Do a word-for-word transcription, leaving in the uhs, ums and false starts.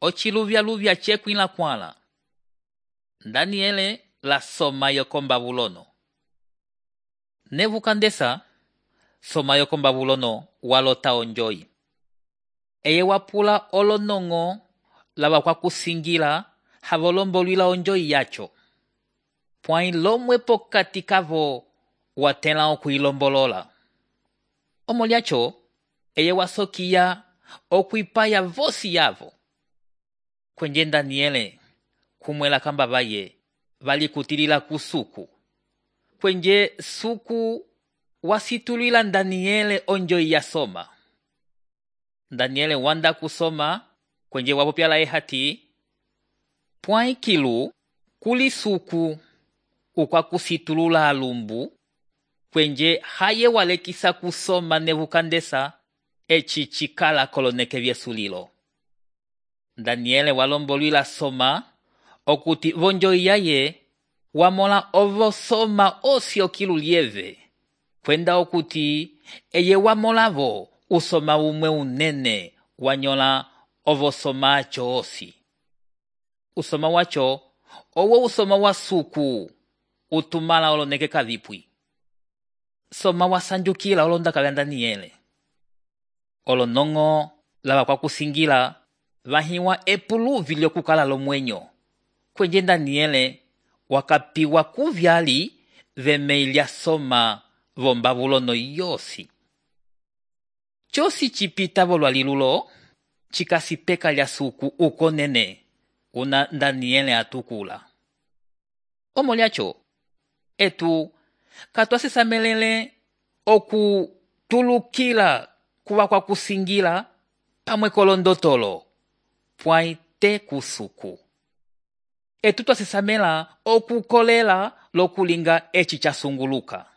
ociluvya-luvya cekwila kwala. Daniele la soma yoko Babulono. Nebukadneza soma yoko Babulono walota onjoyi. Eye wapula olonongo lava kwa kusingila havolombolwila onjoyi yacho. Pwai lomwe pokati kavo watela okuilombolola. Omolyacho eye wasokiya okuipaya vosi yavo. Kwenje Daniele kumwela kamba vaye valikutilila kusuku. Kwenje suku wasitulila Daniele onjoyi ya soma. Daniele wanda kusoma kwenje wapopyala ehati pwai kilu kuli suku ukwa kusitulula alumbu kwenje haye walekisa kusoma Nebukadneza eci chikala koloneke vyesulilo. Daniele walombolwila soma okuti vonjoyi yaye wamola ovo soma osio kilu lieve kwenda okuti eye wamolavo usoma umwe unene wanyola ovo soma acho osi. Usoma wacho owo usoma wa suku utumala oloneke kavipwi. Soma wasanjukila olondaka vya Daniele. Olonongo lava kwa kusingila vahiwa epuluvi lyokukala lomwenyo. Kwenje Daniele wakapiwa kuvyali vemeilya soma vo Babulono yosi. Chosi chipita volwalilulo chikasipeka lya suku ukonene una Daniele atukula. Omolyacho etu katwasesamelele okutulukila kuwa kwa kusingila pamwe kolondotolo pwai te kusuku. Etu twasesamela okukolela lokulinga eci chasunguluka.